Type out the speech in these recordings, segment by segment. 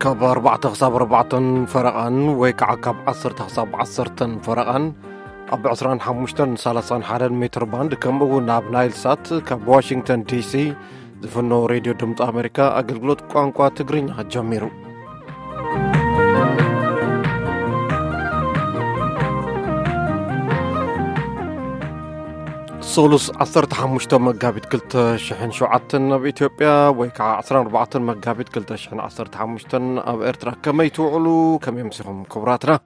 ካብ ኣርባዕተ ክሳብ ኣርባዕተን ፈረቓን ወይ ከዓ ካብ ዓሰርተ ክሳብ ዓሰርተን ፈረቓን ኣብ ዕስራን ሓሙሽተን ሰላሳን ሓደን ሜትር ባንድ፣ ከምኡ እውን ኣብ ናይል ሳት ካብ ዋሽንግተን ዲሲ ዝፍኖ ሬድዮ ድምፂ ኣሜሪካ ኣገልግሎት ቋንቋ ትግርኛ ጀሚሩ። ሶሉስ ዓሰርተ ሓሙሽተ መጋቢት ክልተ ሽሕን ሸውዓተን ኣብ ኢትዮጵያ፣ ወይ ከዓ ዓሰርተ ኣርባዕተ መጋቢት ክልተ ሽሕን ዓሰርተ ሓሙሽተን ኣብ ኤርትራ። ከመይ ትውዕሉ? ከመይ ኣምሲኹም ክቡራትና?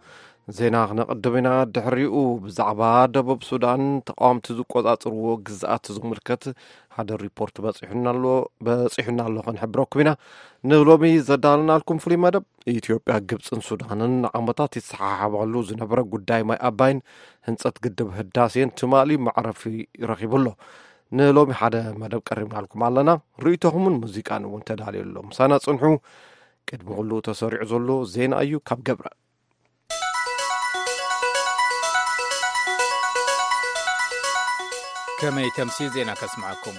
ዜና ክነቕድም ኢና። ድሕሪኡ ብዛዕባ ደቡብ ሱዳን ተቃወምቲ ዝቆጻጽርዎ ግዝኣት ዝምልከት ሓደ ሪፖርት በጺሑና ኣሎ፣ በጺሑና ኣሎ፣ ክንሕብረኩም ኢና። ንሎሚ ዘዳለናልኩም ፍሉይ መደብ፣ ኢትዮጵያ፣ ግብጽን ሱዳንን ንዓመታት ይሰሓሓባሉ ዝነበረ ጉዳይ ማይ ኣባይን ህንጸት ግድብ ህዳሴን ትማሊ መዕረፊ ረኺቡ ኣሎ። ንሎሚ ሓደ መደብ ቀሪብናልኩም ኣለና። ርእይቶኹምን ሙዚቃን እውን ተዳልዩ ኣሎ። ምሳና ጽንሑ። ቅድሚ ኩሉ ተሰሪዑ ዘሎ ዜና እዩ ካብ ገብረ። ከመይ ተምሲ ዜና ከስምዓኩም።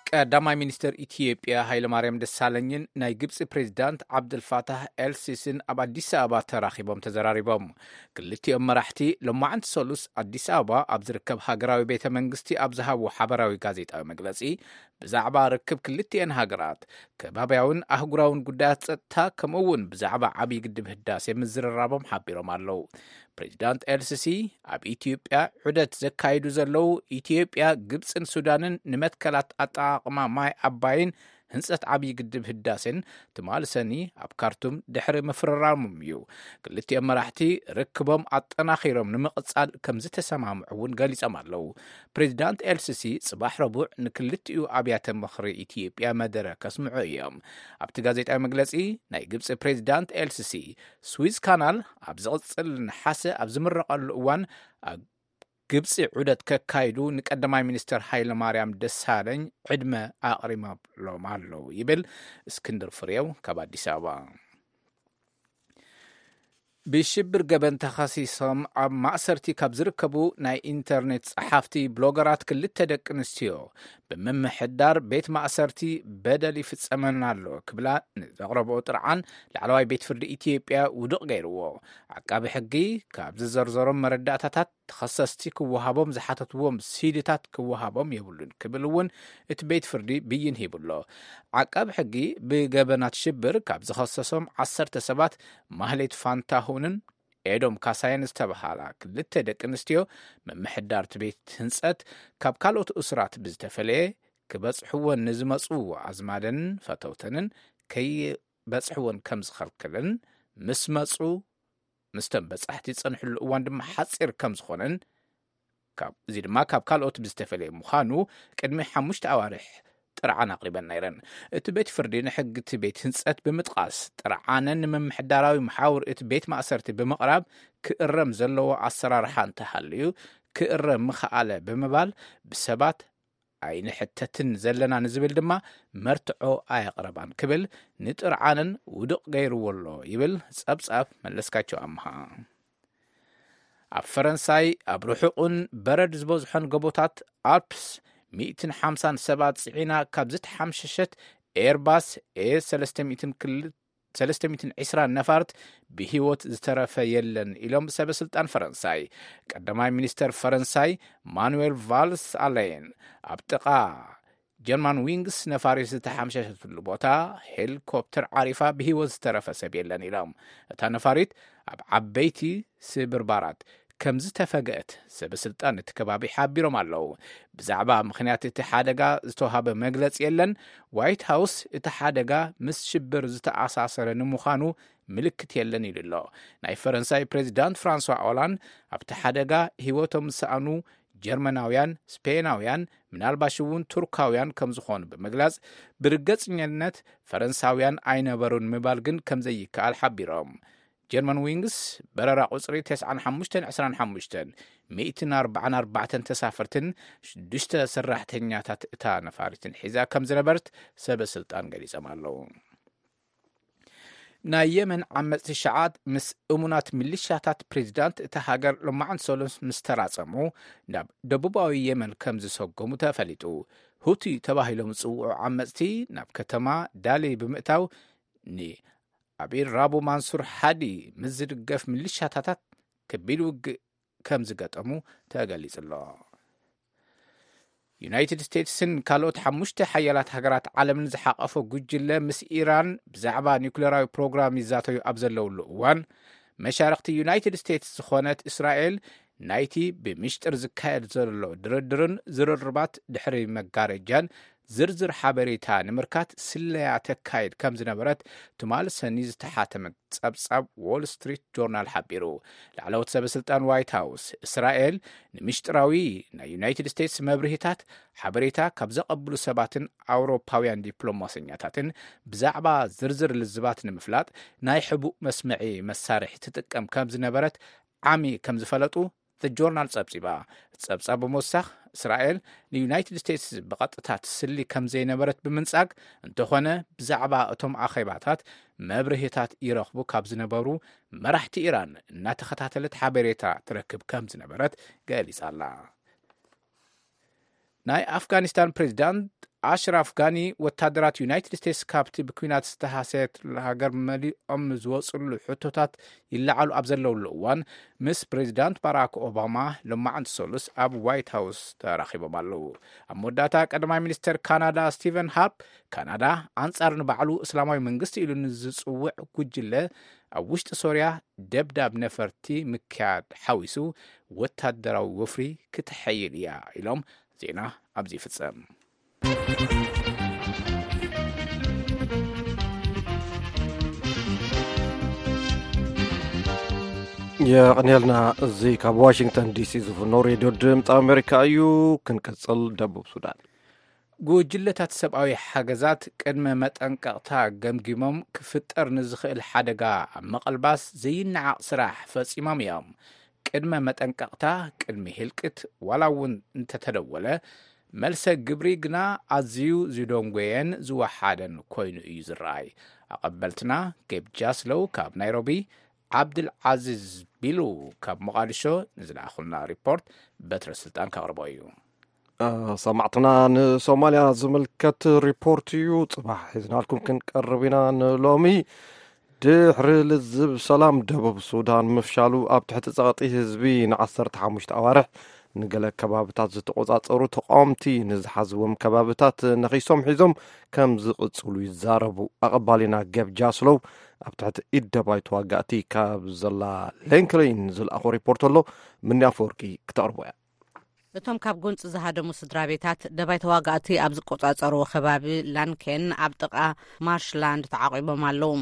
ቀዳማይ ሚኒስትር ኢትዮጵያ ሃይለማርያም ደሳለኝን ናይ ግብፂ ፕሬዚዳንት ዓብደልፋታህ ኤልሲሲን ኣብ ኣዲስ ኣበባ ተራኺቦም ተዘራሪቦም። ክልቲኦም መራሕቲ ሎማዕንቲ ሰሉስ ኣዲስ ኣበባ ኣብ ዝርከብ ሃገራዊ ቤተ መንግስቲ ኣብ ዝሃብዎ ሓበራዊ ጋዜጣዊ መግለፂ፣ ብዛዕባ ርክብ ክልቲኤን ሃገራት፣ ከባብያውን ኣህጉራውን ጉዳያት ጸጥታ፣ ከምኡ እውን ብዛዕባ ዓብዪ ግድብ ህዳሴ ምዝርራቦም ሓቢሮም ኣለዉ። ፕሬዚዳንት ኤልሲሲ ኣብ ኢትዮጵያ ዑደት ዘካይዱ ዘለዉ፣ ኢትዮጵያ፣ ግብጽን ሱዳንን ንመትከላት ኣጠቓቕማ ማይ ኣባይን ህንጸት ዓብዪ ግድብ ህዳሴን ትማሊ ሰኒ ኣብ ካርቱም ድሕሪ ምፍርራሞም እዩ። ክልቲኦም መራሕቲ ርክቦም ኣጠናኺሮም ንምቕጻል ከም ዝተሰማምዑ እውን ገሊጾም ኣለዉ። ፕሬዚዳንት ኤልሲሲ ጽባሕ ረቡዕ ንክልቲኡ ኣብያተ ምኽሪ ኢትዮጵያ መደረ ከስምዑ እዮም። ኣብቲ ጋዜጣዊ መግለጺ፣ ናይ ግብጺ ፕሬዚዳንት ኤልሲሲ ስዊዝ ካናል ኣብ ዝቕጽል ነሓሰ ኣብ ዝምረቐሉ እዋን ኣብ ግብጺ ዑደት ከካይዱ ንቀዳማይ ሚኒስትር ሃይለማርያም ደሳለኝ ዕድመ ኣቕሪቦምሎም ኣለዉ ይብል እስክንድር ፍሬው ካብ ኣዲስ ኣበባ። ብሽብር ገበን ተኸሲሶም ኣብ ማእሰርቲ ካብ ዝርከቡ ናይ ኢንተርኔት ጸሓፍቲ፣ ብሎገራት፣ ክልተ ደቂ ኣንስትዮ ብምምሕዳር ቤት ማእሰርቲ በደል ይፍጸመና ኣሎ ክብላ ንዘቕረብኦ ጥርዓን ላዕለዋይ ቤት ፍርዲ ኢትዮጵያ ውዱቕ ገይርዎ። ዓቃቢ ሕጊ ካብ ዝዘርዘሮም መረዳእታታት፣ ተኸሰስቲ ክወሃቦም ዝሓተትዎም ሲዲታት ክወሃቦም የብሉን ክብል እውን እቲ ቤት ፍርዲ ብይን ሂቡ ኣሎ። ዓቃቢ ሕጊ ብገበናት ሽብር ካብ ዝኸሰሶም ዓሰርተ ሰባት፣ ማህሌት ፋንታሁንን ኤዶም ካሳየን ዝተባሃላ ክልተ ደቂ ኣንስትዮ፣ ምምሕዳር እቲ ቤት ህንጸት ካብ ካልኦት እሱራት ብዝተፈለየ፣ ክበጽሕወን ንዝመጹ ኣዝማደንን ፈተውተንን ከይበጽሕወን ከም ዝኸልክልን፣ ምስ መጹ፣ ምስቶም በጻሕቲ ዝጸንሕሉ እዋን ድማ ሓጺር ከም ዝኾነን፣ ካብ፣ እዚ ድማ ካብ ካልኦት ብዝተፈለየ ምዃኑ ቅድሚ ሓሙሽተ ኣዋርሕ ጥርዓን ኣቕሪበን ነይረን። እቲ ቤት ፍርዲ ንሕጊ እቲ ቤት ህንጸት ብምጥቓስ፣ ጥርዓነን ንምምሕዳራዊ መሓውር እቲ ቤት ማእሰርቲ ብምቕራብ ክእረም ዘለዎ ኣሰራርሓ እንተሃልዩ ክእረም ምኽኣለ ብምባል፣ ብሰባት ኣይንሕተትን ዘለና ንዝብል ድማ መርትዖ ኣየቕረባን ክብል ንጥርዓነን ውዱቕ ገይርዎ ኣሎ ይብል ጸብጻብ መለስካቸው ኣምሃ። ኣብ ፈረንሳይ ኣብ ርሑቕን በረድ ዝበዝሖን ጎቦታት ኣልፕስ ሚእትን ሓምሳን ሰባት ጽዒና ካብ ዝተሓምሸሸት ኤርባስ ኤ ሰለስተ ሚእትን ክልተ ሰለስተ ሚእትን ዕስራን ነፋርት ብህይወት ዝተረፈ የለን ኢሎም ሰበ ስልጣን ፈረንሳይ። ቀዳማይ ሚኒስተር ፈረንሳይ ማኑኤል ቫልስ ኣሌን ኣብ ጥቓ ጀርማን ዊንግስ ነፋሪት ዝተሓምሸሸትሉ ቦታ ሄሊኮፕተር ዓሪፋ ብህይወት ዝተረፈ ሰብ የለን ኢሎም። እታ ነፋሪት ኣብ ዓበይቲ ስብርባራት ከም ዝተፈግአት ሰበ ስልጣን እቲ ከባቢ ሓቢሮም ኣለዉ። ብዛዕባ ምኽንያት እቲ ሓደጋ ዝተዋህበ መግለጺ የለን። ዋይት ሃውስ እቲ ሓደጋ ምስ ሽብር ዝተኣሳሰረ ንምዃኑ ምልክት የለን ኢሉ ኣሎ። ናይ ፈረንሳይ ፕሬዚዳንት ፍራንሷ ኦላንድ ኣብቲ ሓደጋ ህይወቶም ዝሰኣኑ ጀርመናውያን፣ ስፔናውያን፣ ምናልባሽ እውን ቱርካውያን ከም ዝኾኑ ብምግላጽ፣ ብርግጸኝነት ፈረንሳውያን ኣይነበሩን ምባል ግን ከም ዘይከኣል ሓቢሮም። ጀርመን ዊንግስ በረራ ቁጽሪ ተስዓን ሓሙሽተን ዕስራን ሓሙሽተን፣ ሚእትን ኣርባዓን ኣርባዕተን ተሳፈርትን ሽዱሽተ ሰራሕተኛታት እታ ነፋሪትን ሒዛ ከም ዝነበረት ሰበ ስልጣን ገሊጾም ኣለዉ። ናይ የመን ዓመጽቲ ሸዓት ምስ እሙናት ሚሊሻታት ፕሬዚዳንት እታ ሃገር ሎማዕንቲ ሰሉስ ምስ ተራጸሙ፣ ናብ ደቡባዊ የመን ከም ዝሰጎሙ ተፈሊጡ። ሁቲ ተባሂሎም ዝጽውዑ ዓመጽቲ ናብ ከተማ ዳሊ ብምእታው ንኣሚር ራቡ ማንሱር ሃዲ ምስ ዝድገፍ ሚሊሻታታት ከቢድ ውግእ ከም ዝገጠሙ ተገሊጹ ኣሎ። ዩናይትድ ስቴትስን ካልኦት ሓሙሽተ ሓያላት ሃገራት ዓለምን ዝሓቐፈ ጉጅለ ምስ ኢራን ብዛዕባ ኒውክሌራዊ ፕሮግራም ይዛተዩ ኣብ ዘለውሉ እዋን፣ መሻርኽቲ ዩናይትድ ስቴትስ ዝኾነት እስራኤል፣ ናይቲ ብምሽጥር ዝካየድ ዘሎ ድርድርን ዝርርባት ድሕሪ መጋረጃን ዝርዝር ሓበሬታ ንምርካት ስለያ ተካይድ ከም ዝነበረት ትማል ሰኒ ዝተሓተመ ጸብጻብ ዎል ስትሪት ጆርናል ሓቢሩ። ላዕለዎት ሰበ ስልጣን ዋይት ሃውስ፣ እስራኤል ንምሽጥራዊ ናይ ዩናይትድ ስቴትስ መብርሂታት ሓበሬታ ካብ ዘቐብሉ ሰባትን ኣውሮፓውያን ዲፕሎማሰኛታትን ብዛዕባ ዝርዝር ልዝባት ንምፍላጥ ናይ ሕቡእ መስምዒ መሳርሒ ትጥቀም ከም ዝነበረት ዓሚ ከም ዝፈለጡ ዘ ጆርናል ጸብጺባ። ጸብጻብ ብምውሳኽ፣ እስራኤል ንዩናይትድ ስቴትስ ብቐጥታ ትስሊ ከም ዘይነበረት ብምንጻግ፣ እንተኾነ ብዛዕባ እቶም ኣኼባታት መብርሂታት ይረኽቡ ካብ ዝነበሩ መራሕቲ ኢራን እናተኸታተለት ሓበሬታ ትረክብ ከም ዝነበረት ገሊጻ ኣላ። ናይ ኣፍጋኒስታን ፕሬዚዳንት ኣሽራፍ ጋኒ፣ ወታደራት ዩናይትድ ስቴትስ ካብቲ ብኲናት ዝተሃሰየት ሃገር መሊኦም ዝወፅሉ ሕቶታት ይለዓሉ ኣብ ዘለውሉ እዋን፣ ምስ ፕሬዚዳንት ባራክ ኦባማ ሎማዓንቲ ሰሉስ ኣብ ዋይት ሃውስ ተራኺቦም ኣለዉ። ኣብ መወዳእታ፣ ቀዳማይ ሚኒስተር ካናዳ ስቲቨን ሃርፕ፣ ካናዳ ኣንጻር ንባዕሉ እስላማዊ መንግስቲ ኢሉ ንዝጽውዕ ጉጅለ ኣብ ውሽጢ ሶርያ ደብዳብ ነፈርቲ ምክያድ ሓዊሱ ወታደራዊ ወፍሪ ክትሐይል እያ ኢሎም። ዜና ኣብዚ ይፍጸም። የቐንየልና። እዚ ካብ ዋሽንግተን ዲሲ ዝፍኖ ሬድዮ ድምፂ ኣሜሪካ እዩ። ክንቅፅል፣ ደቡብ ሱዳን። ጉጅለታት ሰብኣዊ ሓገዛት ቅድመ መጠንቀቕታ ገምጊሞም ክፍጠር ንዝኽእል ሓደጋ ኣብ ምቕልባስ ዘይነዓቕ ስራሕ ፈጺሞም እዮም። ቅድመ መጠንቀቕታ ቅድሚ ህልቅት ዋላ እውን እንተተደወለ፣ መልሰ ግብሪ ግና ኣዝዩ ዝደንጎየን ዝወሓደን ኮይኑ እዩ ዝረኣይ። ኣቐበልትና ጌብ ጃስሎው ካብ ናይሮቢ፣ ዓብድል ዓዚዝ ቢሉ ካብ ሞቓዲሾ ንዝለኣኹልና ሪፖርት በትረ ስልጣን ከቕርቦ እዩ። ሰማዕትና፣ ንሶማልያ ዝምልከት ሪፖርት እዩ ጽባሕ ሒዝናልኩም ክንቀርብ ኢና። ንሎሚ ድሕሪ ልዝብ ሰላም ደቡብ ሱዳን ምፍሻሉ፣ ኣብ ትሕቲ ጸቕጢ ህዝቢ ንዓሰርተ ሓሙሽተ ኣዋርሕ ንገለ ከባብታት ዝተቖጻጸሩ ተቃወምቲ ንዝሓዝዎም ከባብታት ነኺሶም ሒዞም ከም ዝቕጽሉ ይዛረቡ። ኣቐባሊና ገብ ጃስሎው ኣብ ትሕቲ ኢድ ደባይ ተዋጋእቲ ካብ ዘላ ሌንክሌን ዝለኣኾ ሪፖርት ኣሎ። ምንያ ኣፈወርቂ ክተቕርቦ እያ። እቶም ካብ ጎንፂ ዝሃደሙ ስድራ ቤታት፣ ደባይ ተዋጋእቲ ኣብ ዝቆጻጸርዎ ከባቢ ላንኬን ኣብ ጥቓ ማርሽላንድ ተዓቒቦም ኣለዉ።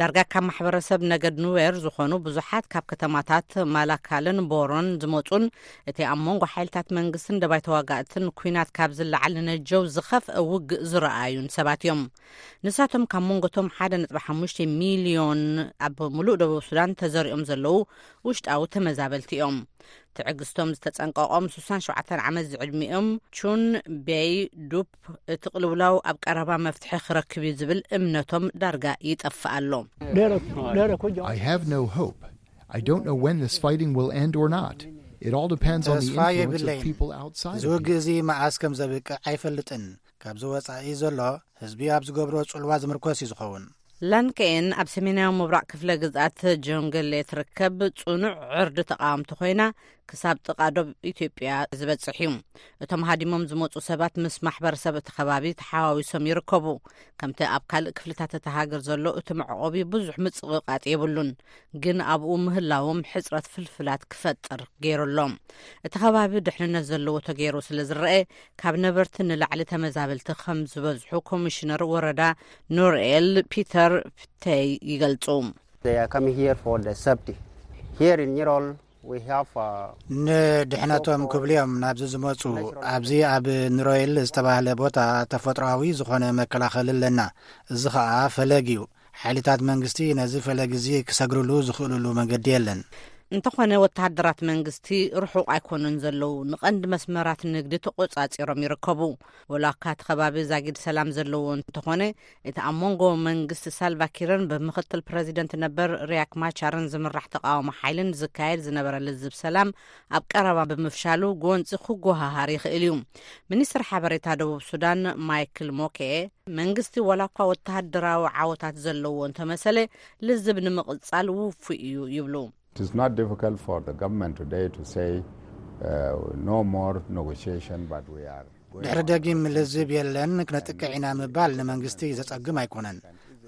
ዳርጋ ካብ ማሕበረሰብ ነገድ ኑዌር ዝኾኑ ብዙሓት ካብ ከተማታት ማላካልን ቦሮን ዝመጹን፣ እቲ ኣብ መንጎ ሓይልታት መንግስትን ደባይ ተዋጋእትን ኲናት ካብ ዝለዓል ንነጀው ዝኸፍአ ውግእ ዝረኣዩን ሰባት እዮም። ንሳቶም ካብ መንጎቶም ሓደ ነጥቢ ሓሙሽተ ሚልዮን ኣብ ሙሉእ ደቡብ ሱዳን ተዘሪኦም ዘለዉ ውሽጣዊ ተመዛበልቲ እዮም። ትዕግስቶም ዝተጸንቀቖም ስሳን ሸውዓተን ዓመት ዝዕድሚኦም ቹን ቤይ ዱፕ፣ እቲ ቅልውላው ኣብ ቀረባ መፍትሒ ክረክብ እዩ ዝብል እምነቶም ዳርጋ ይጠፍእ ኣሎ። I have no hope. I don't know when this fighting will end or not. It all depends on the ተስፋ influence of የብለይን። People outside እዚ of ውግእ here. እዚ መዓስ ከም ዘብቅዕ ኣይፈልጥን። ካብዚ ወጻኢ ዘሎ ህዝቢ ኣብ ዝገብሮ ጽልዋ ዝምርኮስ እዩ ዝኸውን። ላንከኤን ኣብ ሰሜናዊ ምብራቕ ክፍለ ግዝኣት ጆንገሌ ትርከብ ጽኑዕ ዕርዲ ተቓወምቲ ኮይና፣ ክሳብ ጥቓ ዶብ ኢትዮጵያ ዝበጽሕ እዩ። እቶም ሃዲሞም ዝመጹ ሰባት ምስ ማሕበረሰብ እቲ ከባቢ ተሓዋዊሶም ይርከቡ። ከምቲ ኣብ ካልእ ክፍልታት እታ ሃገር ዘሎ፣ እቲ መዕቆቢ ብዙሕ ምጽቕቓጥ የብሉን፣ ግን ኣብኡ ምህላዎም ሕጽረት ፍልፍላት ክፈጥር ገይሩ ኣሎ። እቲ ከባቢ ድሕንነት ዘለዎ ተገይሩ ስለ ዝረአ፣ ካብ ነበርቲ ንላዕሊ ተመዛበልቲ ከም ዝበዝሑ ኮሚሽነር ወረዳ ኑርኤል ፒተር ፕተይ ይገልጹ። They are coming here for the safety. Here in Nyirol, we have, uh, ንድሕነቶም ክብሉ እዮም ናብዚ ዝመጹ። ኣብዚ ኣብ ኑሮይል ዝተባህለ ቦታ ተፈጥሮኣዊ ዝኾነ መከላኸሊ ኣለና። እዚ ኸኣ ፈለግ እዩ። ሓይልታት መንግስቲ ነዚ ፈለግ እዚ ክሰግርሉ ዝኽእልሉ መንገዲ የለን። እንተኾነ፣ ወተሃደራት መንግስቲ ርሑቕ ኣይኮኑን ዘለዉ፣ ንቐንዲ መስመራት ንግዲ ተቖጻጺሮም ይርከቡ። ወላ እኳ እቲ ከባቢ ዛጊድ ሰላም ዘለዎ እንተኾነ፣ እቲ ኣብ መንጎ መንግስቲ ሳልቫኪርን ብምኽትል ፕረዚደንት ነበር ሪያክ ማቻርን ዝምራሕ ተቓውሞ ሓይልን ዝካየድ ዝነበረ ልዝብ ሰላም ኣብ ቀረባ ብምፍሻሉ፣ ጎንጺ ክጎሃሃር ይኽእል እዩ። ሚኒስትር ሓበሬታ ደቡብ ሱዳን ማይክል ሞኬ፣ መንግስቲ ዋላ እኳ ወተሃደራዊ ዓወታት ዘለዎ እንተመሰለ፣ ልዝብ ንምቕጻል ውፉይ እዩ ይብሉ። It is not difficult for the government today to say, uh, no more negotiation, but we are going ድሕሪ on ደጊም with ልዝብ የለን፣ ክነጥቅዕ ኢና ምባል ንመንግስቲ ዘጸግም ኣይኮነን።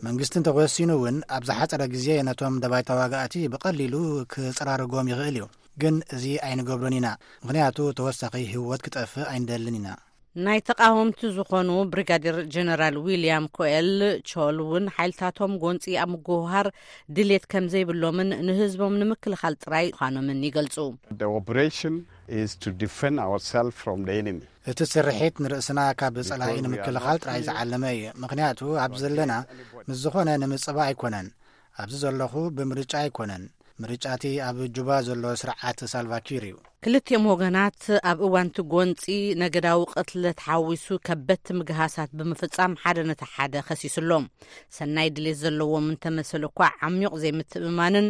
መንግስቲ እንተወሲኑ እውን፣ ኣብ ዝሓጸረ ግዜ ነቶም ደባይ ተዋጋእቲ ብቐሊሉ ክጸራርጎም ይኽእል እዩ። ግን እዚ ኣይንገብሮን ኢና፣ ምኽንያቱ ተወሳኺ ህይወት ክጠፍእ ኣይንደልን ኢና። ናይ ተቓወምቲ ዝኾኑ ብሪጋዴር ጀነራል ዊልያም ኮኤል ቾል እውን ሓይልታቶም ጎንፂ ኣብ ምጉህሃር ድሌት ከም ዘይብሎምን ንህዝቦም ንምክልኻል ጥራይ ምዃኖምን ይገልፁ። The operation is to defend ourselves from the enemy. እቲ ስርሒት ንርእስና ካብ ጸላኢ ንምክልኻል ጥራይ ዝዓለመ እዩ። ምኽንያቱ ኣብ ዘለና ምስ ዝኾነ ንምጽባ ኣይኮነን። ኣብዚ ዘለኹ ብምርጫ ኣይኮነን። ምርጫቲ ኣብ ጁባ ዘሎ ስርዓት ሳልቫኪር እዩ። ክልቲኦም ወገናት ኣብ እዋንቲ ጎንፂ ነገዳዊ ቅትለት ሓዊሱ ከበድቲ ምግሃሳት ብምፍጻም ሓደ ነቲ ሓደ ከሲሱ ኣሎ። ሰናይ ድሌት ዘለዎም እንተመሰሉ እኳ፣ ዓሚቕ ዘይምትእምማንን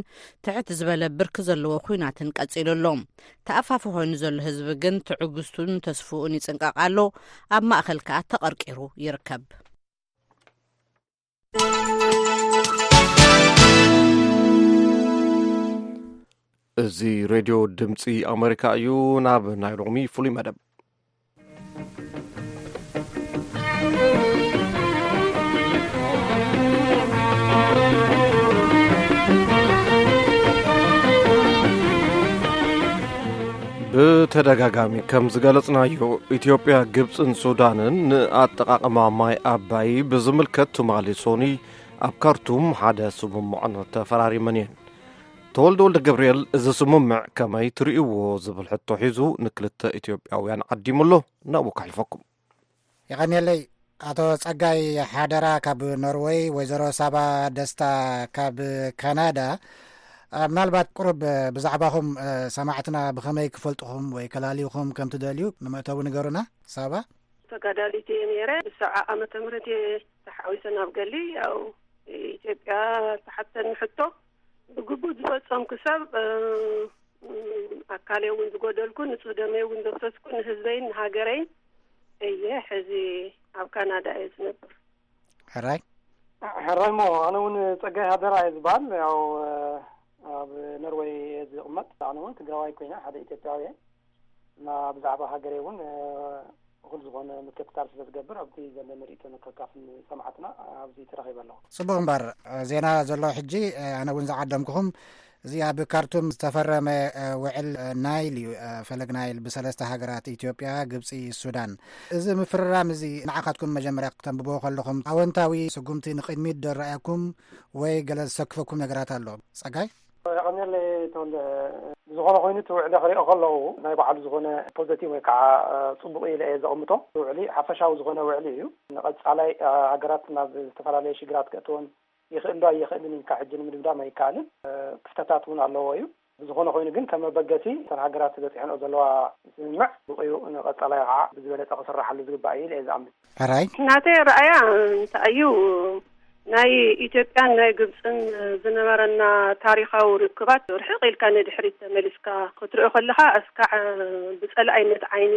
ትሕት ዝበለ ብርኪ ዘለዎ ኲናትን ቀጺሉ ኣሎ። ተኣፋፊ ኮይኑ ዘሎ ህዝቢ ግን ትዕግስቱን ተስፍኡን ይጽንቀቕ ኣሎ። ኣብ ማእከል ከኣ ተቐርቂሩ ይርከብ። እዚ ሬድዮ ድምፂ ኣሜሪካ እዩ። ናብ ናይ ሎሚ ፍሉይ መደብ። ብተደጋጋሚ ከም ዝገለጽናዮ፣ ኢትዮጵያ፣ ግብጽን ሱዳንን ንኣጠቓቕማ ማይ ኣባይ ብዝምልከት ትማሊ ሶኒ ኣብ ካርቱም ሓደ ስምምዖን ተፈራሪመን እየን። ተወልደ ወልደ ገብርኤል፣ እዚ ስምምዕ ከመይ ትርእይዎ ዝብል ሕቶ ሒዙ ንክልተ ኢትዮጵያውያን ዓዲሙ ኣሎ። ናብኡ ከሕልፈኩም። የቐንየለይ። ኣቶ ጸጋይ ሓደራ ካብ ኖርወይ፣ ወይዘሮ ሳባ ደስታ ካብ ካናዳ። አ፣ ምናልባት ቁሩብ ብዛዕባኹም፣ አ፣ ሰማዕትና ብኸመይ ክፈልጥኹም ወይ ከላልዩኹም ከም ትደልዩ ንመእተዊ ንገሩና። ሳባ? ተጋዳሊት እየ ነይረ። ብሰብዓ ዓመተ ምህረት እየ ተሓዊሰ ናብ ገሊ። ያው ኢትዮጵያ ተሓተኒ ሕቶ ብግቡእ ዝፈጸምኩ ሰብ፣ እ፣ እ፣ ኣካለይ እውን ዝጎደልኩ፣ ንጹህ ደመይ እውን ዘፍሰስኩ ንህዝበይን ንሃገረይን እየ። ሕዚ ኣብ ካናዳ እየ ዝነብር። ሕራይ? ሕራይ እሞ፣ ኣነ እውን ጸጋይ ሃደራ እየ ዝበሃል። ያው፣ እ፣ ኣብ ኖርወይ እየ ዝቕመጥ። ኣነ እውን ትግራዋይ ኮይነ ሓደ ኢትዮጵያዊ እየ። እና ብዛዕባ ሃገረይ እውን፣ እ፣ እኹል ዝኾነ ምክትታል ስለ ዝገብር፣ ኣብቲ ዘለኒ ርእይቶ ንከካፍል ሰማዕትና ኣብዚ ተረኺበ ኣለኹ። ጽቡቕ እምበር፣ ዜና ዘሎ ሕጂ፣ ኣነ እውን ዝዓደምኩኹም፣ እዚ ኣብ ካርቱም ዝተፈረመ፣ ውዕል ናይል እዩ፣ ፈለግ ናይል ብሰለስተ ሃገራት፣ ኢትዮጵያ፣ ግብጺ፣ ሱዳን። እዚ ምፍርራም እዚ ንዓኻትኩም መጀመርያ ክተንብቦ ከለኹም ኣወንታዊ ስጉምቲ ንቕድሚት ዶ ረኣየኩም ወይ ገለ ዝሰክፈኩም ነገራት ኣሎ? ጸጋይ? የቐንየለይ ተወልደ። ብዝኾነ ኮይኑ እቲ ውዕሊ ክሪኦ ከለኹ ናይ ባዕሉ ዝኾነ ፖዘቲቭ ወይ ከዓ፣ እ፣ ጽቡቕ ኢለ እየ ዘቐምጦ። እቲ ውዕሊ ሓፈሻዊ ዝኾነ ውዕሊ እዩ። ንቐጻላይ፣ እ፣ ሃገራት ናብ ዝተፈላለየ ሽግራት ከእትወን ይኽእል ዶ ኣይኽእልን ኢልካ ሕጂ ንምድምዳም ኣይከኣልን። እ፣ ክፍተታት እውን ኣለዎ እዩ። ብዝኾነ ኮይኑ ግን ከም መበገሲ እተን ሃገራት በጺሐንኦ ዘለዋ ስምምዕ ብቑዩ ንቐጻላይ ከዓ ብዝበለጸ ክስራሓሉ ዝግባእ እዩ ኢለ እየ ዝኣምን። ሕራይ? ናተይ ረኣያ እንታይ እዩ፣ ናይ ኢትዮጵያን ናይ ግብፅን ዝነበረና ታሪኻዊ ርክባት ርሕቕ ኢልካ ንድሕሪት ተመሊስካ ክትሪኦ ከለኻ፣ እስካዕ ብፀላኢነት ዓይኒ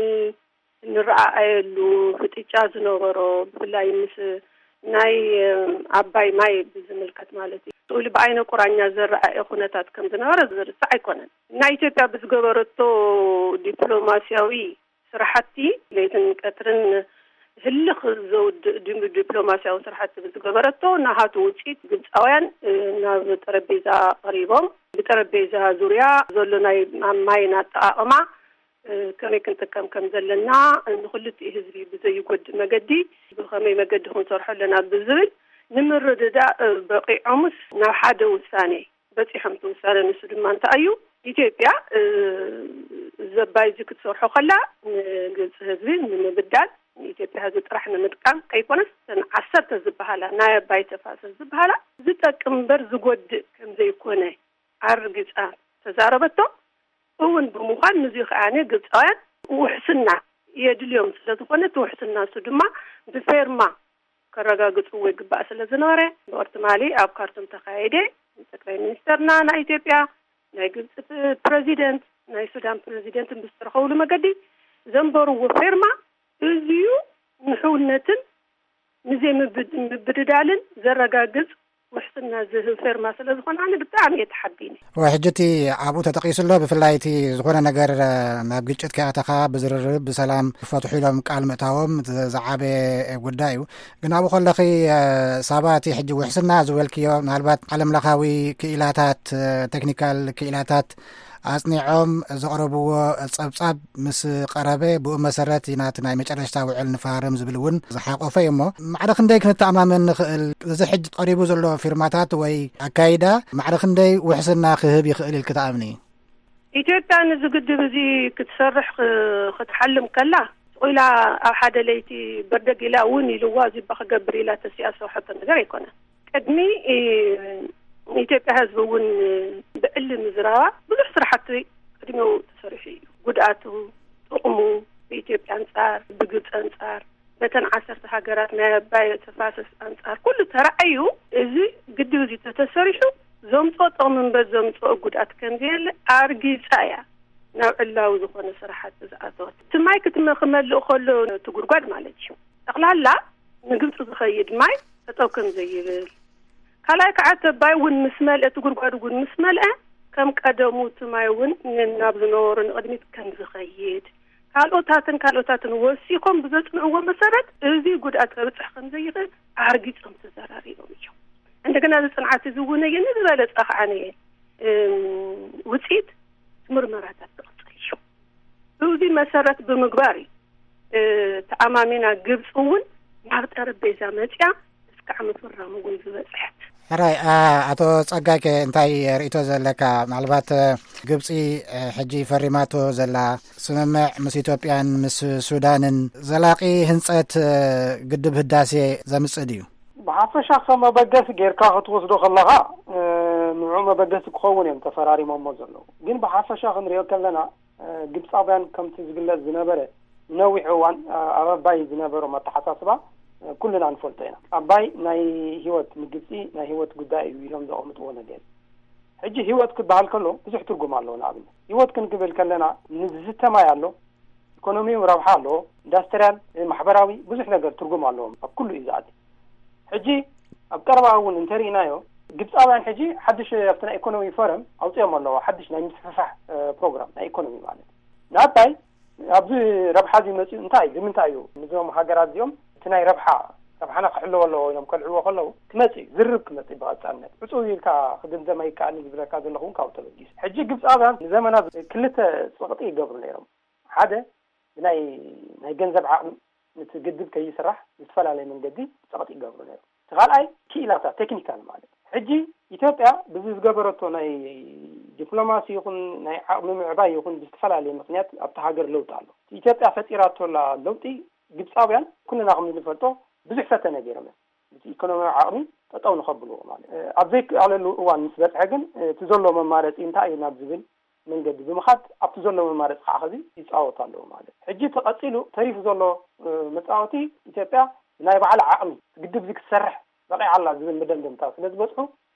እንረኣኣየሉ ፍጥጫ ዝነበሮ፣ ብፍላይ ምስ ናይ ኣባይ ማይ ብዝምልከት ማለት እዩ። ስእሊ ብኣይነ ቁራኛ ዘረኣየ ኩነታት ከም ዝነበረ ዝርሳዕ ኣይኮነን። ናይ ኢትዮጵያ ብዝገበረቶ ዲፕሎማሲያዊ ስራሕቲ፣ ለይትን ቀትርን ህልኽ ዘውድእ ዲ-፣ ዲፕሎማሲያዊ ስራሕቲ ብዝገበረቶ፣ ናሃቱ ውፅኢት ግብፃውያን፣ እ፣ ናብ ጠረጴዛ ቀሪቦም፣ ብጠረጴዛ ዙርያ ዘሎ ናይ ማይን ኣጠቓቕማ፣ እ፣ ከመይ ክንጥቀም ከም ዘለና፣ ንክልቲኡ ህዝቢ ብዘይጎድእ መገዲ ብኸመይ መገዲ ክንሰርሖ ኣለና ብዝብል ንምርድዳእ፣ እ፣ በቒዖምስ ናብ ሓደ ውሳኔ በጺሖም። እቲ ውሳነ ንሱ ድማ እንታይ እዩ? ኢትዮጵያ፣ እ፣ ዘባይ እዚ ክትሰርሖ ከላ ንግብጺ ህዝቢ ንምብዳል፣ ንኢትዮጵያ ህዝቢ ጥራሕ ንምጥቃም ከይኮነስ፣ እተን ዓሰርተ ዝበሃላ ናይ ኣባይ ተፋሰስ ዝበሃላ ዝጠቅም እምበር ዝጎድእ ከም ዘይኮነ ኣርግጻ ተዛረበቶ እውን ብምዃን፣ ንዚ ከዓኒ ግብፃውያን ውሕስና የድልዮም ስለ ዝኾነ፣ እቲ ውሕስና እሱ ድማ ብፌርማ ከረጋግፅዎ ይግባእ ስለ ዝነበረ፣ ብቕርትማሊ ኣብ ካርቱም ተኻየደ። ጠቅላይ ሚኒስተርና ናይ ኢትዮጵያ፣ ናይ ግብፂ ፕ-፣ ፕረዚደንት፣ ናይ ሱዳን ፕረዚደንት ብዝተረኸብሉ መገዲ ዘንበርዎ ፌርማ እዚዩ ንሕውነትን ንዘይምብድ-፣ ምብድዳልን ዘረጋግጽ ውሕስና ዝህብ ፌርማ ስለ ዝኾነ፣ ኣነ ብጣዕሚ እየ ተሓቢነ። ወይ ሕጂ እቲ ኣብኡ ተጠቒሱ ኣሎ፣ ብፍላይ እቲ ዝኾነ ነገር፣ እ፣ ናብ ግጭት ከይኣተኻ ብዝርርብ ብሰላም ክፈትሑ ኢሎም ቃል ምእታዎም ዝ-፣ ዝዓበየ ጉዳይ እዩ። ግን ኣብኡ ከለኺ፣ እ፣ ሳባ፣ እቲ ሕጂ ውሕስና ዝበልክዮ፣ ምናልባት ዓለም ለኻዊ ክኢላታት፣ እ፣ ቴክኒካል ክኢላታት ኣጽኒዖም ዘቕረብዎ ጸብጻብ ምስ ቀረበ፣ ብኡ መሰረት ኢና እቲ ናይ መጨረሽታ ውዕል ንፈራረም ዝብል እውን ዝሓቆፈ እዩ። እሞ ማዕረ ክንደይ ክንተኣማመን ንኽእል? እዚ ሕጂ ቀሪቡ ዘሎ ፊርማታት ወይ ኣካይዳ ማዕረ ክንደይ ውሕስና ክህብ ይኽእል ኢልኪ ትኣምኒ? ኢትዮጵያ ነዚ ግድብ እዚ ክትሰርሕ ክ-፣ ክትሓልም ከላ፣ ኢላ ኣብ ሓደ ለይቲ በርደግ ኢላ እውን ኢልዋ፣ እዚ እባ ክገብር ኢላ ተሲኣ ዝሰርሐቶ ነገር ኣይኮነን። ቅድሚ፣ እ፣ ንኢትዮጵያ ህዝቢ እውን ብዕሊ ምዝራባ ብዙሕ ስራሕቲ ቅድሚኡ ተሰሪሑ እዩ። ጉድኣቱ፣ ጥቕሙ፣ ብኢትዮጵያ ኣንጻር፣ ብግብፂ ኣንጻር፣ በተን ዓሰርተ ሃገራት ናይ ኣባይ ተፋሰስ ኣንጻር ኩሉ ተራእዩ፣ እዚ ግድብ እዚ ተተሰሪሑ ዘምፅኦ ጥቕሚ እምበር ዘምፅኦ ጉድኣት ከም ዘየለ ኣርጊፃ እያ ናብ ዕላዊ ዝኾነ ስራሕቲ ዝኣተወት። እቲ ማይ ክትመ-፣ ክመልእ ከሎ፣ እቲ ጉድጓድ ማለት እዩ፣ ጠቕላላ ንግብፂ ዝኸይድ ማይ ጠጠው ከም ዘይብል፣ ካልኣይ ከዓ እቲ ኣባይ እውን ምስ መልአ፣ እቲ ጉድጓድ እውን ምስ መልአ፣ ከም ቀደሙ እቲ ማይ እውን ን-፣ ናብ ዝነበሮ ንቕድሚት ከም ዝኸይድ፣ ካልኦታትን ካልኦታትን ወሲኾም ብዘጽንዕዎ መሰረት፣ እዚ ጉድኣት ከብጽሕ ከም ዘይኽእል ኣርጊጾም ተዘራሪቦም እዮም። እንደገና፣ እዚ ጽንዓት እዚ እውን፣ እየ ንዝበለጸ ከዓ፣ ነየ፣ እም፣ ውጽኢት ምርመራታት ዝቕጽል እዩ። እዚ መሰረት ብምግባር እዩ፣ እ፣ ተኣማሚና ግብፂ እውን ናብ ጠረጴዛ መፅያ እስካዕ ምፍራም እውን ዝበፅሐት። ሕራይ፣ ኣ-፣ ኣቶ ጸጋይ ከ እንታይ ርእይቶ ዘለካ? ምናልባት፣ እ፣ ግብፂ፣ እ፣ ሕጂ ፈሪማቶ ዘላ ስምምዕ ምስ ኢትዮጵያን ምስ ሱዳንን ዘላቂ ህንጸት፣ እ፣ ግድብ ህዳሴ ዘምጽእ ድዩ? ብሓፈሻ ከም መበገሲ ጌርካ ክትወስዶ ከለኻ፣ እ፣ ንዑ መበገሲ ክኸውን እዮም ተፈራሪሞሞ ዘለዉ። ግን ብሓፈሻ ክንሪኦ ከለና፣ እ፣ ግብጻውያን ከምቲ ዝግለጽ ዝነበረ ነዊሕ እዋን፣ እ፣ ኣብ ኣባይ ዝነበሮም ኣተሓሳስባ፣ እ፣ ኩልና ንፈልጦ ኢና። ኣባይ ናይ ህይወት ንግብጺ ናይ ህይወት ጉዳይ እዩ ኢሎም ዘቐምጥዎ ነገር እዩ። ሕጂ ህይወት ክበሃል ከሎ ብዙሕ ትርጉም ኣለዎ። ንኣብነት ህይወት ክንክብል ከለና ንዝስተ ማይ ኣሎ፣ ኢኮኖሚያዊ ረብሓ ኣለዎ፣ ኢንዳስትርያል፣ እ፣ ማሕበራዊ ብዙሕ ነገር ትርጉም ኣለዎም። ኣብ ኩሉ እዩ ዝኣቲ። ሕጂ ኣብ ቀረባ እውን እንተርኢናዮ፣ ግብጻውያን ሕጂ ሓድሽ ኣብቲ ናይ ኢኮኖሚ ፎረም ኣውጺኦም ኣለዎ፣ ሓድሽ ናይ ምስፍሕፋሕ፣ እ፣ ፕሮግራም ናይ ኢኮኖሚ ማለት። ንኣባይ ኣብዚ ረብሓ እዚ መጺኡ እንታይ እዩ? ንምንታይ እዩ? ንዞም ሃገራት እዚኦም እቲ ናይ ረብሓ፣ ረብሓና ክሕለዎ ኣለዎ ኢሎም ከልዕልዎ ከለዉ ክመጽእ እዩ፣ ዝርርብ ክመጽእ እዩ ብቐጻልነት። ዕጹው ኢልካ ክድምደም ኣይከኣልን ዝብለካ ዘለኹ እውን ካብኡ ተበጊሱ። ሕጂ ግብጻውያን ንዘመናት ክልተ ጸቕጢ ይገብሩ ነይሮም። ሓደ ብናይ፣ ናይ ገንዘብ ዓቕሚ፣ ነቲ ግድብ ከይስራሕ ብዝተፈላለየ መንገዲ ጸቕጢ ይገብሩ ነይሮም። እቲ ካልኣይ ክኢላታት ቴክኒካል ማለት። ሕጂ ኢትዮጵያ ብዚ ዝገበረቶ ናይ ዲፕሎማሲ ይኹን ናይ ዓቕሚ ምዕባይ ይኹን ብዝተፈላለየ ምኽንያት ኣብቲ ሃገር ለውጢ ኣሎ። እቲ ኢትዮጵያ ፈጢራቶ ኣላ ለውጢ ግብጻውያን ኩልና ከም እንፈልጦ ብዙሕ ፈተነ ገይሮም እዮም። እቲ ኢኮኖሚያዊ ዓቕሚ ጠጠው ንኸብልዎ ማለት። እ፣ ኣብ ዘይከኣለሉ እዋን ምስ በጽሐ ግን፣ እ፣ እቲ ዘሎ መማረጺ እንታይ እዩ ናብ ዝብል መንገዲ ብምኻድ ኣብቲ ዘሎ መማረፂ ከዓ ኸዚ ይፃወቱ ኣለዉ ማለት እዩ። ሕጂ ተቐፂሉ ተሪፉ ዘሎ፣ እ፣ መፃወቲ ኢትዮጵያ ብናይ ባዕላ ዓቕሚ ግድብ እዚ ክትሰርሕ በቒዓ ኣላ ዝብል መደምደምታ ስለ ዝበፅሑ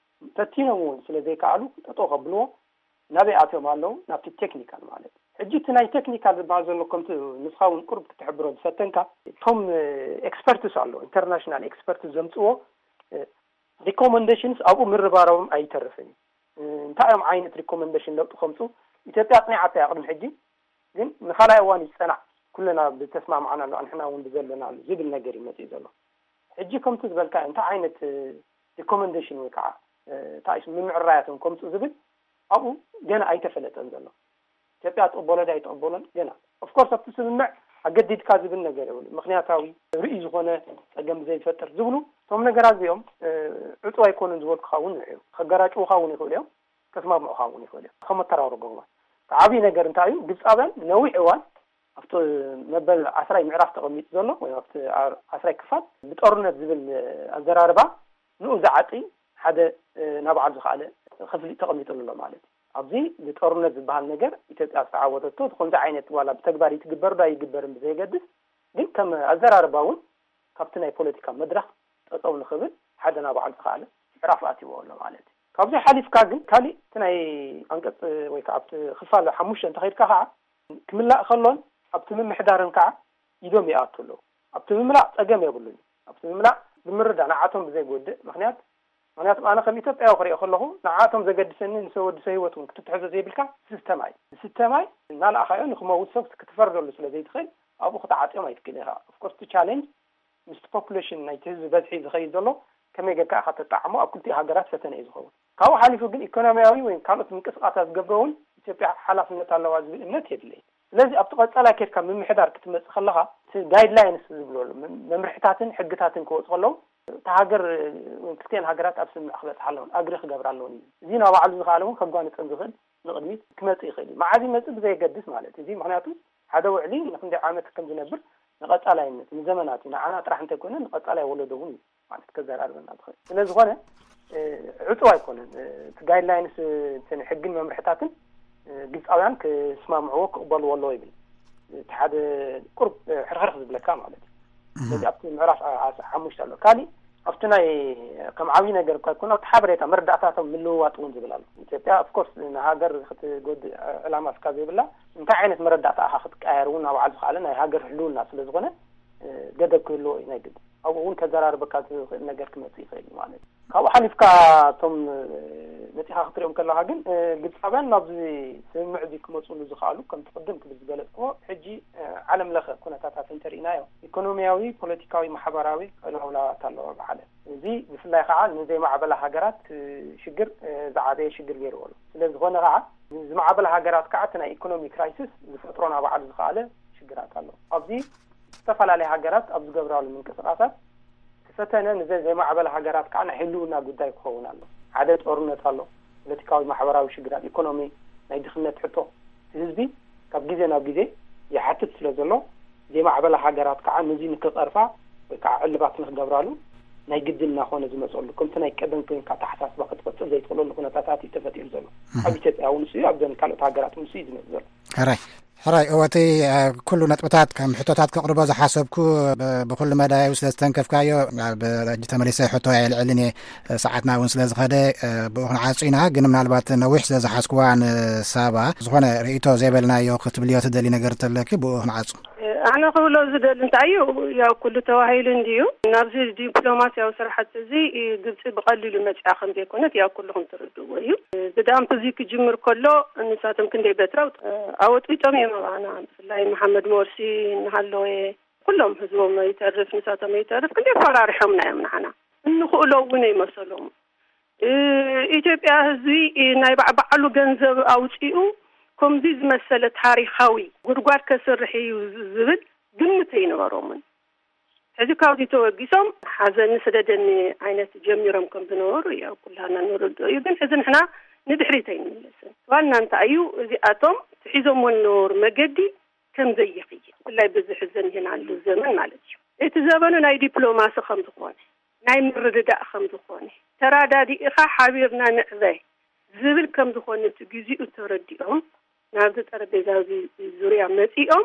ፈቲኖም እውን ስለ ዘይከኣሉ ጠጠው ከብልዎ ናበይ ኣትዮም ኣለዉ? ናብቲ ቴክኒካል ማለት እዩ። ሕጂ እቲ ናይ ቴክኒካል ዝበሃል ዘሎ ከምቲ ንስኻ እውን ቁሩብ ክትሕብሮ ዝፈተንካ እቶም፣ እ፣ ኤክስፐርትስ ኣለዉ፣ ኢንተርናሽናል ኤክስፐርትስ ዘምፅዎ፣ እ፣ ሪኮመንዴሽንስ ኣብኡ ምርባረቦም ኣይተርፍን እዩ። እ፣ እንታይ እዮም ዓይነት ሪኮመንዴሽን ለውጢ ከምፁ? ኢትዮጵያ ኣፅኒዓቶ እያ ቅድሚ ሕጂ፣ ግን ንኻልኣይ እዋን እዩ ዝፀናዕ፣ ኩልና ብተስማማዕናሉ፣ ኣንሕና እውን ብዘለናሉ ዝብል ነገር እዩ መፂኡ ዘሎ። ሕጂ ከምቲ ዝበልካ እንታይ ዓይነት፣ እ፣ ሪኮመንዴሽን ወይ ከዓ፣ እ፣ እንታይ እዩ ምምዕራያቶም ከምፁ ዝብል ኣብኡ ገና ኣይተፈለጠን ዘሎ። ኢትዮጵያ ትቕበሎ ድያ ኣይትቕበሎን ገና። ኦፍኮርስ ኣብቲ ስምምዕ ኣገዲድካ ዝብል ነገር የብሉ። ምኽንያታዊ ርእዩ ዝኾነ ጸገም ብዘይፈጥር ዝብሉ እቶም ነገራት እዚኦም፣ እ፣ ዕጹ ኣይኮኑን ዝበልኩኻ እውን ንዑ እዮም። ከገራጭዉኻ እውን ይኽእሉ እዮም፣ ከስማምዑኻ እውን ይኽእሉ እዮም። ከም መተራረጎ እዋን። እቲ ዓብዪ ነገር እንታይ እዩ? ግብጻውያን ነዊሕ እዋን ኣብቲ መበል ዓስራይ ምዕራፍ ተቐሚጡ ዘሎ ወይ ኣብቲ ዓስራይ ክፋል ብጦርነት ዝብል ኣዘራርባ ንኡ ዝዓጢ ሓደ፣ እ፣ ናብ ባዕሉ ዝኸኣለ ክፍሊ ተቐሚጡሉ ኣሎ ማለት እዩ። ኣብዚ ብጦርነት ዝበሃል ነገር ኢትዮጵያ ዝተዓወተቶ እቲ ከምዚ ዓይነት ዋላ ብተግባር ይትግበር ዶ ኣይግበርን ብዘየገድስ፣ ግን ከም ኣዘራርባ እውን ካብቲ ናይ ፖለቲካ መድረኽ ጠጠው ንኽብል ሓደ ናባዕሉ ዝኸኣለ ምዕራፍ ኣትይዎ ኣሎ ማለት እዩ። ካብዚ ሓሊፍካ ግን ካሊእ እቲ ናይ ኣንቀጽ ወይ ከዓ ኣብቲ ክፋል ሓሙሽተ እንተኸይድካ ከዓ ክምላእ ከሎን ኣብቲ ምምሕዳርን ከዓ ኢዶም ይኣቱ ኣለዉ። ኣብቲ ምምላእ ጸገም የብሉን። ኣብቲ ምምላእ ብምርዳእ ንዓቶም ብዘይጎድእ ምክንያት ምክንያቱም ኣነ ከም ኢትዮጵያዊ ክሪኦ ከለኹ ንዓቶም ዘገድሰኒ ንሰብ ወዲ ሰብ ህይወት እውን ክትትሕዞ ዘይብልካ ዝስተ ማይ ዝስተ ማይ እናለኣኻዮ ንክመውት ሰብ ክትፈርደሉ ስለ ዘይትኽእል ኣብኡ ክትዓጥዮም ኣይትክእል ኢኻ። ኦፍኮርስ እቲ ቻሌንጅ ምስቲ ፖፑሌሽን ናይቲ ህዝቢ በዝሒ ዝኸይድ ዘሎ ከመይ ጌርካ ኢኻ ተጣዕሞ ኣብ ክልቲኡ ሃገራት ፈተነ እዩ ዝኸውን። ካብኡ ሓሊፉ ግን ኢኮኖሚያዊ ወይ ካልኦት ምንቅስቃሳት ዝገብሮ እውን ኢትዮጵያ ሓላፍነት ኣለዋ ዝብል እምነት የብለይ። ስለዚ ኣብቲ ቀጻላይ ኬድካ ምምሕዳር ክትመጽእ ከለኻ እቲ ጋይድላይንስ ዝብሎ ኣሎ መምርሕታትን ሕግታትን ክወፁ ከለዉ እታ ሃገር ክልቲኤን ሃገራት ኣብ ስምምዕ ክበፅሓ ኣለውን ኣግሪ ክገብራ ኣለውን እዩ። እዚ ናባዕሉ ዝኸኣለ እውን ከጓንፀን ዝኽእል ንቕድሚት ክመፅእ ይኽእል እዩ። መዓዝ ይመፅእ ብዘየገድስ ማለት እዚ ምክንያቱ ሓደ ውዕሊ ንክንደይ ዓመት ከም ዝነብር ንቐፃላይነት ንዘመናት እዩ። ንዓና ጥራሕ እንተይኮነ ንቐፃላይ ወለዶ እውን እዩ ማለት ከዘራርበና ዝኽእል። ስለዝኾነ ዕፁ ኣይኮነን። እቲ ጋይድላይንስ ሕግን መምርሕታትን ግብፃውያን ክስማምዕዎ ክቕበልዎ ኣለዎ ይብል። እቲ ሓደ ቁርብ ሕርሕርሕ ዝብለካ ማለት እዩ። ስለዚ ኣብቲ ምዕራፍ ሓሙሽተ ኣሎ። ካሊእ ኣብቲ ናይ ከም ዓብዪ ነገር እኳ ይኮን ኣብቲ ሓበሬታ መረዳእታቶም ምልውዋጥ እውን ዝብል ኣሎ። ኢትዮጵያ ኦፍኮርስ ንሃገር ክትጎድእ ዕላማ ስካ ዘይብላ እንታይ ዓይነት መረዳእታ ኣኻ ክትቀያየር እውን ኣብ ዓል ዝኸኣለ ናይ ሃገር ህልውና ስለዝኾነ ገደብ ክህልዎ እዩ ናይ ግድ። ኣብኡ እውን ከዘራርበካ ዝኽእል ነገር ክመፅእ ይኽእል እዩ ማለት እዩ። ካብኡ ሓሊፍካ እቶም መፂኻ ክትሪኦም ከለካ ግን ግብፃውያን ናብዚ ስምምዕ እዚ ክመፅሉ ዝኽኣሉ ከምቲ ቅድም ክብል ዝገለፅክዎ ሕጂ ዓለም ለኸ ኩነታታት እንተርኢናዮ ኢኮኖሚያዊ፣ ፖለቲካዊ፣ ማሕበራዊ ቅልውላዋት ኣለዎ ኣብ ዓለም። እዚ ብፍላይ ከዓ ንዘይማዕበላ ሃገራት ሽግር ዝዓበየ ሽግር ገይርዎ ኣሎ። ስለዝኾነ ከዓ ዝማዕበላ ሃገራት ከዓ እቲ ናይ ኢኮኖሚ ክራይሲስ ዝፈጥሮ ናባዕሉ ዝኸኣለ ሽግራት ኣሎ። ኣብዚ ዝተፈላለያ ሃገራት ኣብ ዝገብራሉ ምንቅስቃሳት እቲ ፈተነ ንዘን ዘይማዕበላ ሃገራት ከዓ ናይ ህልውና ጉዳይ ክኸውን ኣሎ። ሓደ ጦርነት ኣሎ፣ ፖለቲካዊ ማሕበራዊ ሽግራት፣ ኢኮኖሚ፣ ናይ ድኽነት ሕቶ እቲ ህዝቢ ካብ ግዜ ናብ ግዜ ይሓትት ስለ ዘሎ ዘይማዕበላ ሃገራት ከዓ ነዚ ንክቐርፋ ወይ ከዓ ዕልባት ንክገብራሉ ናይ ግድን እናኾነ ዝመፀሉ ከምቲ ናይ ቀደም ኮይንካ ኣተሓሳስባ ክትቐፅል ዘይትኽእለሉ ኩነታታት እዩ ተፈጢሩ ዘሎ። ኣብ ኢትዮጵያ እውን ንሱ እዩ፣ ኣብዘን ካልኦት ሃገራት እውን ንሱ እዩ ዝመፅእ ዘሎ። ሕራይ ሕራይ እወ እቲ ኩሉ ነጥብታት ከም ሕቶታት ከቕርቦ ዝሓሰብኩ ብኩሉ መዳያዊ ስለ ዝተንከፍካዮ ኣብ ሕጂ ተመሊሰ ሕቶ ኣየልዕልን እየ። ሰዓትና እውን ስለ ዝኸደ ብኡ ክንዓጹ ኢና። ግን ምናልባት ነዊሕ ስለ ዝሓዝኩዋ ንሳባ ዝኾነ ርእይቶ ዘይበልናዮ ክትብልዮ ትደሊ ነገር ተለኪ ብኡ ክንዓጹ። ኣነ ክብሎ ዝደሊ እንታይ እዩ፣ ያው ኩሉ ተባሂሉ እንድዩ። ናብዚ ዲፕሎማስያዊ ስራሕቲ እዚ ግብፂ ብቐሊሉ መፅኣ ከም ዘይኮነት ያው ኩልኹም ትርድእዎ እዩ። ብዳምፕ እዚ ክጅምር ከሎ ንሳቶም ክንደይ በትረው ኣወጢጦም እዮም ኣባና። ብፍላይ መሓመድ ሞርሲ እናሃለወ ኩሎም ህዝቦም ይተርፍ ንሳቶም ይተርፍ ክንደይ ፈራሪሖምና እዮም ንዓና። እንኽእሎ እውን ኣይመሰሎም። ኢትዮጵያ ህዝቢ ናይ ባዕባዕሉ ገንዘብ ኣውፂኡ ከምዚ ዝመሰለ ታሪኻዊ ጉድጓድ ከስርሕ እዩ ዝብል ግምት ኣይነበሮምን። ሕዚ ካብዚ ተወጊሶም ሓዘኒ ስደደኒ ዓይነት ጀሚሮም ከም ዝነበሩ ያው ኩላና ንርድኦ እዩ። ግን ሕዚ ንሕና ንድሕሪት ኣይንምለስን። ዋና እንታይ እዩ እዚኣቶም ትሒዞሞ ዝነበሩ መገዲ ከም ዘይኽየድ ብፍላይ በዚ ሕዚ ዘኒሀናሉ ዘመን ማለት እዩ። እቲ ዘመኑ ናይ ዲፕሎማሲ ከም ዝኾነ ናይ ምርድዳእ ከም ዝኾነ ተራዳዲእኻ ሓቢርና ንዕበ ዝብል ከም ዝኾነ እቲ ግዚኡ ተረዲኦም ናብዚ ጠረጴዛ እዚ ዙርያ መፂኦም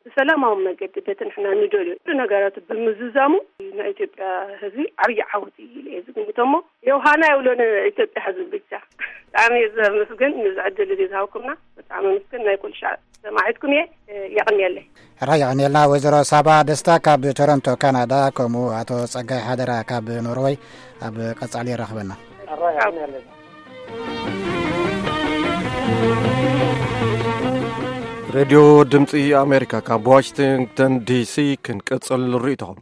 ብሰላማዊ መገዲ በቲ ንሕና ንደልዮ ኩሉ ነገራት ብምዝዛሙ ናይ ኢትዮጵያ ህዝቢ ዓብዪ ዓወት እዩ ኢለ እየ ዝግምቶ። እሞ ዮሃና ይብሎ ንኢትዮጵያ ህዝቢ ብቻ። ብጣዕሚ እየ ዘመስግን ንዚ ዕድል እዚ ዝሃብኩምና ብጣዕሚ ኣመስግን። ናይ ኩሉ ሻዕ ሰማዒትኩም እየ። የቐንየለይ። ሕራይ የቐንየልና ወይዘሮ ሳባ ደስታ ካብ ቶሮንቶ ካናዳ፣ ከምኡ ኣቶ ጸጋይ ሓደራ ካብ ኖርወይ። ኣብ ቀጻሊ የራኽበና። ሕራይ የቐንየለይ። ሬድዮ ድምፂ ኣሜሪካ ካብ ዋሽንግተን ዲሲ። ክንቅፅል ርእይቶኹም።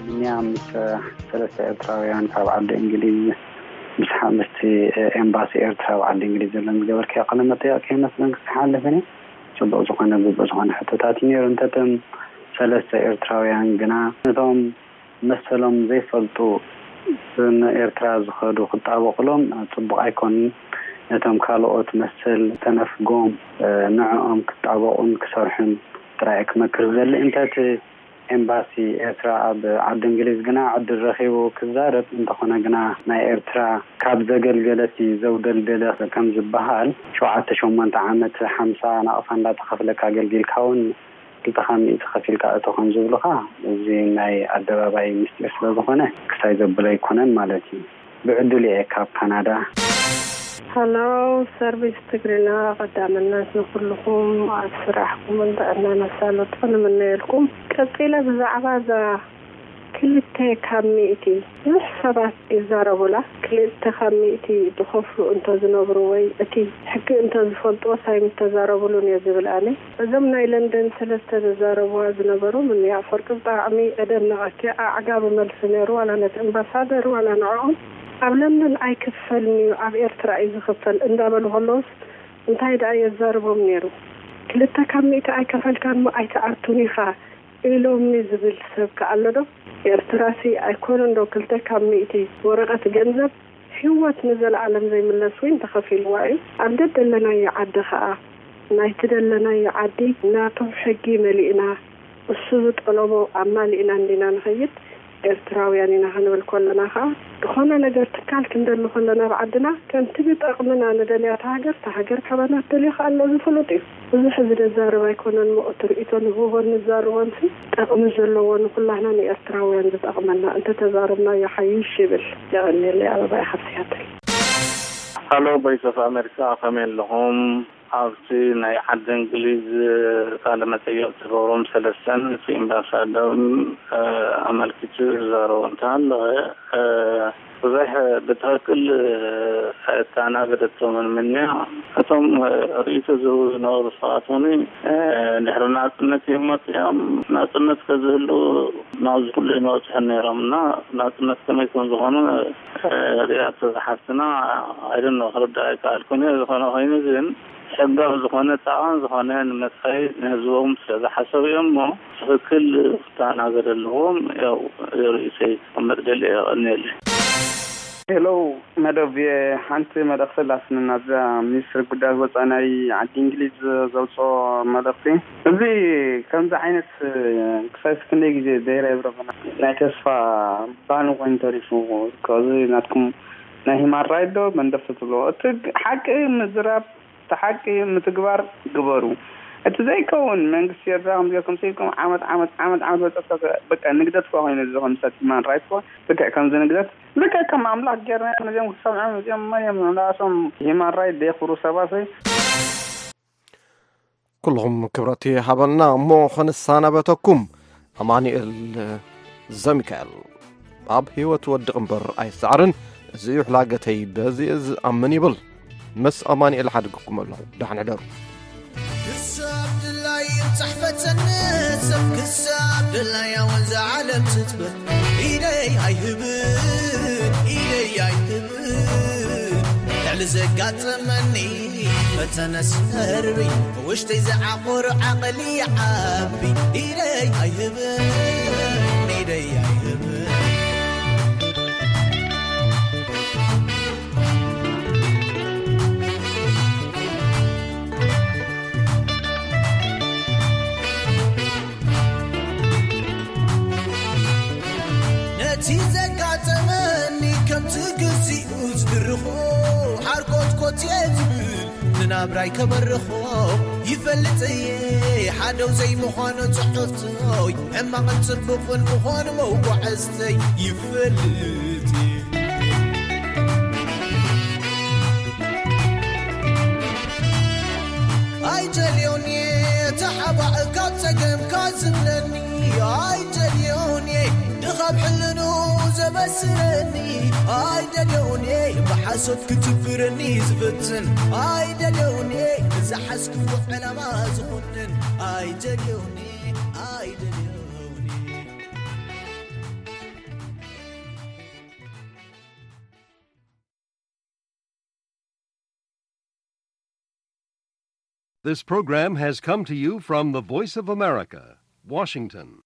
እኛ ምስ ሰለስተ ኤርትራውያን ካብ ዓዲ እንግሊዝ ምስ ሓ- ምስቲ ኤምባሲ ኤርትራ ኣብ ዓዲ እንግሊዝ ዘለን ዝገበርካዮ ቃለ መጠይቕ ከይመስለን ክሓልፍን እየ። ጽቡቕ ዝኾነ ግቡእ ዝኾነ ሕቶታት እዩ ነይሩ። እንተቶም ሰለስተ ኤርትራውያን ግና ነቶም መሰሎም ዘይፈልጡ ንኤርትራ ዝኸዱ ክጣበቑሎም ጽቡቕ ኣይኮኑን። ነቶም ካልኦት መሰል ተነፍጎም ንዕኦም ክጣበቑን ክሰርሑን ጥራይ ክመክር ዝደሊ። እንተ እቲ ኤምባሲ ኤርትራ ኣብ ዓዲ እንግሊዝ ግና ዕድል ረኺቡ ክዛረብ፣ እንተኾነ ግና ናይ ኤርትራ ካብ ዘገልገለት እዩ ዘውደልደለ ከም ዝበሃል፣ ሸውዓተ ሸሞንተ ዓመት ሓምሳ ናቕፋ እንዳተኸፍለካ ኣገልጊልካ እውን ክልተ ካብ ሚእቲ ከፊልካ እቶ ከም ዝብሉኻ፣ እዚ ናይ ኣደባባይ ምስጢር ስለ ዝኾነ ክሳይ ዘብሎ ኣይኮነን ማለት እዩ። ብዕድል እየ ካብ ካናዳ። ሃሎ ሰርቪስ ትግርና፣ ቀዳምነት ንኩልኹም ኣብ ስራሕኩምን ጥዕናን ኣሳልጦ ንምነየልኩም። ቀጺለ ብዛዕባ እዛ ክልተ ካብ ሚእቲ ብዙሕ ሰባት ይዛረቡላ። ክልተ ካብ ሚእቲ ዝኸፍሉ እንተዝነብሩ ወይ እቲ ሕጊ እንተዝፈልጥዎ ሳይ ምተዛረቡሉን እየ ዝብል ኣነ። እዞም ናይ ለንደን ሰለስተ ዘዛረብዋ ዝነበሩ ምንያ ፍርቂ ብጣዕሚ እደነቐኪ። ኣዕጋቢ መልሲ ነይሩ ዋላ ነቲ ኣምባሳደር ዋላ ንዕኦም። ኣብ ለንደን ኣይክፈልንዩ ኣብ ኤርትራ እዩ ዝኽፈል እንዳበሉ ከለውስ እንታይ ደኣ የዛርቦም ነይሩ። ክልተ ካብ ሚእቲ ኣይከፈልካን እሞ ኣይትኣቱን ኢኻ ኢሎምኒ ዝብል ሰብ ከ ኣሎ ዶ? ኤርትራሲ ኣይኮነን ዶ ክልተ ካብ ሚእቲ ወረቐት ገንዘብ ህይወት ንዘለኣለም ዘይምለስ ዊን ተኸፊልዋ እዩ። ኣብ ደደለናዮ ዓዲ ኸኣ ናይቲ ደለናዮ ዓዲ ናቶም ሕጊ መሊእና እሱ ዝጠለቦ ኣማሊእና እንዲና ንኸይድ ኤርትራውያን ኢና ክንብል ከለና ኸኣ ዝኾነ ነገር ትካል ክንደሊ ከለና ኣብ ዓድና ከምቲ ብጠቕምና ንደልያ እታ ሃገር እታ ሃገር ካባና ትደልዮ ኸኣ ኣለዚ ፍሉጥ እዩ። ብዙሕ እዚ ደዛርብ ኣይኮነን እሞ እቲ ርእይቶ ንህቦን ንዛረቦን ሲ ጠቕሚ ዘለዎ ንኹላህና ንኤርትራውያን ዝጠቕመና እንተተዛረብናዮ ሓይሽ ይብል። የቐንየለይ ኣበባይ ካብ ሲያትል። Hello Voice of America ከመይ ኣለኹም? ኣብቲ ናይ ዓዲ እንግሊዝ ቃለ መጠየቕ ዝገብሮም ሰለስተን እቲ ኢምባሳደር ኣመልኪቱ ዝዛረቦ እንተሃለወ ብዙሕ ብትኽክል ኣየተኣናገደቶምን ምንያ እቶም ርእይቶ ዝህቡ ዝነበሩ ሰባት እውን ድሕሪ ናፅነት እዮም መፅኦም። ናፅነት ከዝህሉ ናብዚ ኩሉ ይመፅሑ ነይሮም እና ናፅነት ከመይ ከም ዝኾኑ ሪኣቶ ዝሓፍትና ኣይደኖ ክርዳእ ኣይከኣልኩን እየ። ዝኾነ ኮይኑ ግን ሕጋዊ ዝኾነ ፃዕን ዝኾነ ንመፃኢ ንህዝቦም ስለ ዝሓሰቡ እዮም እሞ ትኽክል ክተኣናገደ ኣለዎም። ያው ርእይቶይ ክቕመጥ ደልየ የቐንየለይ። ሄሎ መደብ ሓንቲ መልእኽቲ ኣላትኒ ናብዛ ሚኒስትሪ ጉዳያት ወፃኢ ናይ ዓዲ እንግሊዝ ዘውፅኦ መልእኽቲ። እዚ ከምዚ ዓይነት ክሳብ ክንደይ ግዜ ዘይረብረበና ናይ ተስፋ ባኒ ኮይኑ ተሪፉ። እዚ ናትኩም ናይ ሂማን ራይት ዶ መንደፍቲ ትብሎ እቲ ሓቂ ምዝራብ እቲ ሓቂ ምትግባር ግበሩ። እቲ ዘይከውን መንግስቲ ኤርትራ ከም ጌርኩም ስኢልኩም ዓመት ዓመት ዓመት ዓመት በፀብፀብ በቃ ንግደት እኳ ኮይኑ እዚ ከም ሰብ ሂማን ራይት እኳ ልክዕ ከምዚ ንግደት ልክዕ ከም ኣምላኽ ጌርና ነዚኦም ክሰምዖም እዚኦም መን እዮም ንኣቶም ሂማን ራይት ደየኽብሩ ሰባት ወይ ኩልኹም ክብረት ይሃበልና እሞ ክንሰናበተኩም ኣማኑኤል ዘሚካኤል ኣብ ህይወት ወድቕ እምበር ኣይሰዓርን እዚ እዩ ሕላገተይ በዚ ዝኣምን ይብል ምስ ኣማኑኤል ሓድግኩም ኣለኹ ደሓን ሕደሩ ክሳብ ድላይ ይብጻሕ ፈተነ ሰብ ክሳብ ድላያ ወንዛ ዓለም ትጥበል ኢደይ ኣይህብን ኢደይ ኣይህብን ልዕሊ ዘጋጠመኒ ፈተነ ሰርቢ ውሽጠይ ዝዓቆሩ ዓቕሊ ይዓቢ ኢደይ ኣይህብን ኢደይ ኣይህብን ነቲ ዘጋጠመኒ ከምቲ ግዚኡ ዝድርኾ ሓርኮትኮት እየ ዝብል ንናብራይ ከበርኾ ይፈልጥ እየ ሓደው ዘይምዃኑ ጽሑፍቶይ ሕማቕን ጽቡቕን ምዃኑ መጓዕዝተይ ይፈልጥ እየ ኣይደልዮን እየ ተሓባእ ካብ ጸገምካ ዝብለኒ ኣይደልዮን እየ ድኻብ ሕልኑ ዘበስረኒ ኣይደልዮን እየ ብሓሶት ክትብረኒ ዝፍትን ኣይደልዮን እየ ንዝሓዝክዎ ዕላማ ዝኾንን ኣይደልዮን እየ ኣይደልዮን እየ This program has come to you from the Voice of America, Washington.